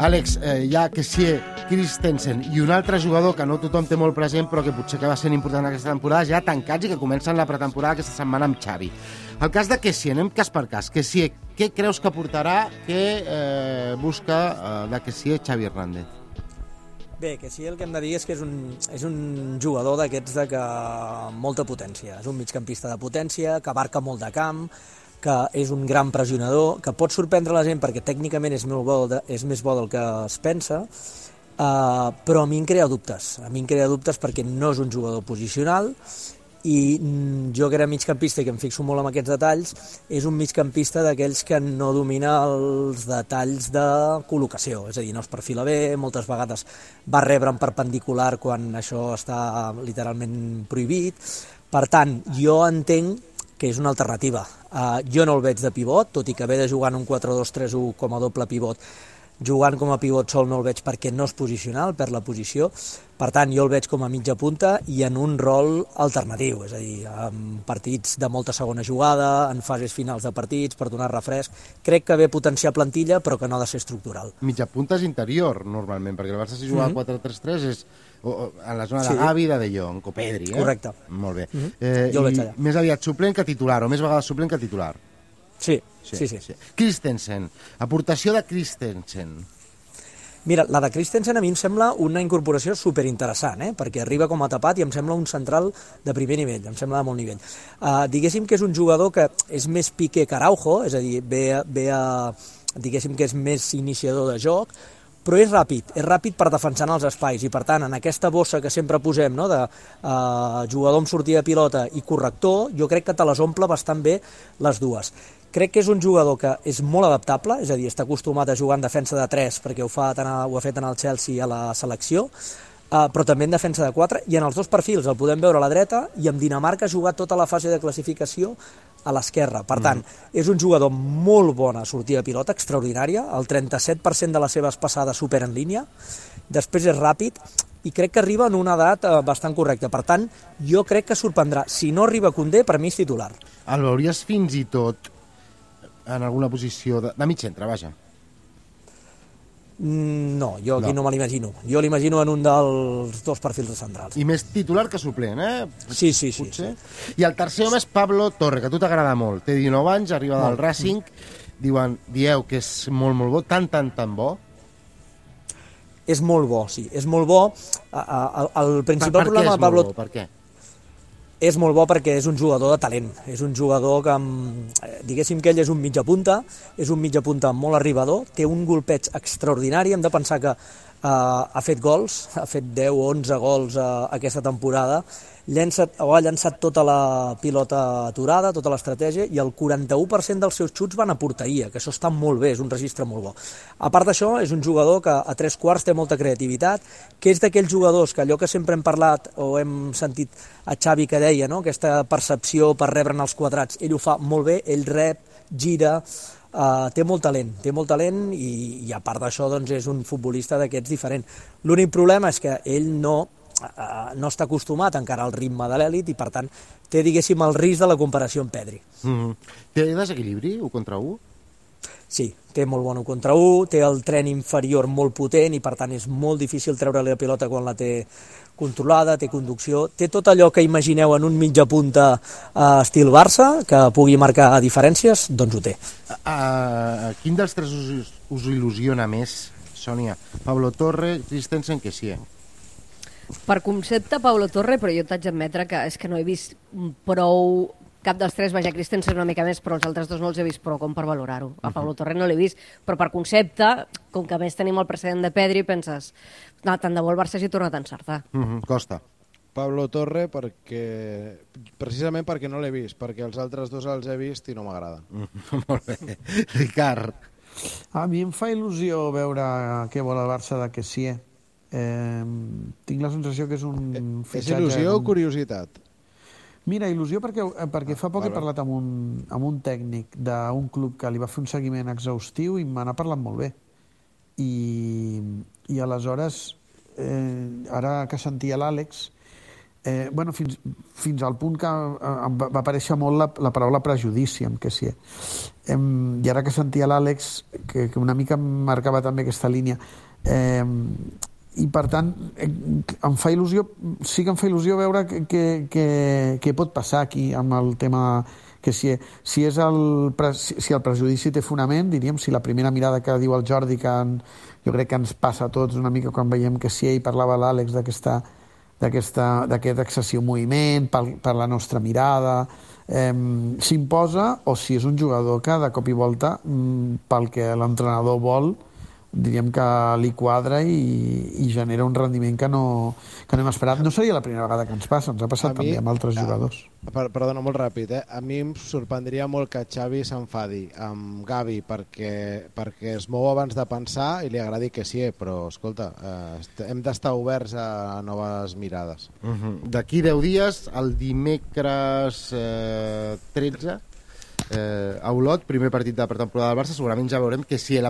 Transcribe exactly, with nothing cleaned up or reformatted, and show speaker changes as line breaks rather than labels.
Àlex, eh, hi ha Kessié, Christensen i un altre jugador que no tothom té molt present però que potser que va ser important aquesta temporada, ja tancats i que comencen la pretemporada aquesta setmana amb Xavi. El cas de Kessié, anem cas per cas. Kessié, què creus que portarà, què eh, busca eh, de Kessié Xavi Hernández?
Bé, que sí, el que hem de dir és que és un, és un jugador d'aquests de que molta potència. És un migcampista de potència, que abarca molt de camp, que és un gran pressionador, que pot sorprendre la gent perquè tècnicament és, molt bo, és més bo del que es pensa, uh, però a mi em crea dubtes. A mi em crea dubtes perquè no és un jugador posicional i jo que era migcampista i que em fixo molt en aquests detalls, és un migcampista d'aquells que no domina els detalls de col·locació, és a dir, no es perfila bé, moltes vegades va rebre en perpendicular quan això està literalment prohibit. Per tant, jo entenc que és una alternativa. Uh, jo no el veig de pivot, tot i que ve de jugar en un quatre dos tres u com a doble pivot, jugant com a pivot sol no el veig perquè no és posicional, perd la posició. Per tant, jo el veig com a mitja punta i en un rol alternatiu, és a dir, en partits de molta segona jugada, en fases finals de partits, per donar refresc. Crec que ve potenciar plantilla, però que no ha de ser estructural.
Mitja punta és interior, normalment, perquè el Barça si juga mm -hmm. quatre tres tres és o, o, en la zona sí. de Gavi, de De Jong, o Pedri, eh?
Correcte.
Molt bé.
Mm -hmm.
eh,
jo el veig allà.
Més aviat suplent que titular, o més vegades suplent que titular.
Sí, sí, sí. sí.
sí. Christensen, aportació de Christensen.
Mira, la de Christensen a mi em sembla una incorporació superinteressant, eh? Perquè arriba com a tapat i em sembla un central de primer nivell, em sembla de molt nivell. Uh, diguéssim que és un jugador que és més Piqué que Araujo, és a dir, ve, ve a, diguéssim que és més iniciador de joc, però és ràpid, és ràpid per defensar els espais i per tant en aquesta bossa que sempre posem, no, de uh, jugador amb sortida de pilota i corrector, jo crec que te les omple bastant bé les dues. Crec que és un jugador que és molt adaptable, és a dir, està acostumat a jugar en defensa de tres perquè ho, fa tant a, ho ha fet en el Chelsea a la selecció, uh, però també en defensa de quatre, i en els dos perfils el podem veure a la dreta, i amb Dinamarca ha jugat tota la fase de classificació a l'esquerra. Per tant, mm. és un jugador molt bona sortida de pilota, extraordinària, el trenta-set per cent de les seves passades superen línia, després és ràpid, i crec que arriba en una edat eh, bastant correcta. Per tant, jo crec que sorprendrà. Si no arriba Koundé, per mi és titular.
El veuries fins i tot en alguna posició de, de mig centre, vaja?
No, jo aquí no, no me l'imagino. Jo l'imagino en un dels dos perfils centrals.
I més titular que suplent, eh?
Sí, sí, sí.
Potser.
sí.
I el tercer home és Pablo Torre, que a tu t'agrada molt. Té dinou anys, arriba molt. del Racing. Diuen, dieu que és molt, molt bo, tan, tan, tan bo.
És molt bo, sí. És molt bo. El, el principal
per, per
problema de Pablo...
Bo? Per què?
És molt bo perquè és un jugador de talent, és un jugador que, diguéssim que ell és un mitja punta, és un mitja punta molt arribador, té un golpeig extraordinari, hem de pensar que uh, ha fet gols, ha fet deu o onze gols uh, aquesta temporada, llença, o ha llançat tota la pilota aturada, tota l'estratègia, i el quaranta-u per cent dels seus xuts van a porteria, que això està molt bé, és un registre molt bo. A part d'això, és un jugador que a tres quarts té molta creativitat, que és d'aquells jugadors que allò que sempre hem parlat o hem sentit a Xavi que deia, no? Aquesta percepció per rebre'n els quadrats, ell ho fa molt bé, ell rep, gira, uh, té molt talent, té molt talent i, i a part d'això doncs, és un futbolista d'aquests diferent. L'únic problema és que ell no Uh, no està acostumat encara al ritme de l'èlit i per tant té, diguéssim, el risc de la comparació amb Pedri.
Mm-hmm. Té desequilibri, u contra u?
Sí, té molt bon u contra u, té el tren inferior molt potent i per tant és molt difícil treure-li la pilota quan la té controlada, té conducció, té tot allò que imagineu en un mitja punta uh, estil Barça, que pugui marcar diferències, doncs ho té.
Uh, quin dels tres us, us il·lusiona més, Sònia? Pablo Torre, Christensen, Kessié?
Per concepte, Pablo Torre, però jo t'haig d'admetre que és que no he vist prou... Cap dels tres, vaja, Christensen una mica més, però els altres dos no els he vist prou com per valorar-ho. A Pablo Torre no l'he vist, però per concepte, com que a més tenim el precedent de Pedri, penses, no, tant de bo el Barça hagi tornat a encertar.
Uh -huh. Costa.
Pablo Torre, perquè precisament perquè no l'he vist, perquè els altres dos els he vist i no m'agraden.
Uh, molt bé. Ricard.
A mi em fa il·lusió veure què vol el Barça de Kessié. Eh, tinc la sensació que és un
fitxatge... És il·lusió o curiositat?
Mira, il·lusió perquè, perquè fa poc ah, he parlat amb un, amb un tècnic d'un club que li va fer un seguiment exhaustiu i me n'ha parlat molt bé. I, i aleshores, eh, ara que sentia l'Àlex, Eh, bueno, fins, fins al punt que eh, va, va aparèixer molt la, la paraula prejudici amb Kessié. Eh, I ara que sentia l'Àlex, que, que una mica em marcava també aquesta línia, eh, i per tant eh, em fa il·lusió, sí que em fa il·lusió veure que, que, que, que pot passar aquí amb el tema Kessié. Si, és el, si, si el prejudici té fonament, diríem, si la primera mirada que diu el Jordi, que en, jo crec que ens passa a tots una mica quan veiem Kessié, i parlava l'Àlex d'aquesta d'aquest excessiu moviment per, per la nostra mirada, eh, s'imposa, o si és un jugador que de cop i volta, pel que l'entrenador vol, diríem que li quadra i, i genera un rendiment que no, que no hem esperat. No seria la primera vegada que ens passa, ens ha passat mi, també amb altres jugadors.
Per, perdona, molt ràpid, eh? A mi em sorprendria molt que Xavi s'enfadi amb Gavi perquè, perquè es mou abans de pensar i li agradi que sí, però, escolta, eh, hem d'estar oberts a noves mirades.
Uh-huh. D'aquí deu dies, el dimecres eh, tretze, eh, a Olot, primer partit de pretemporada del Barça, segurament ja veurem que sí, la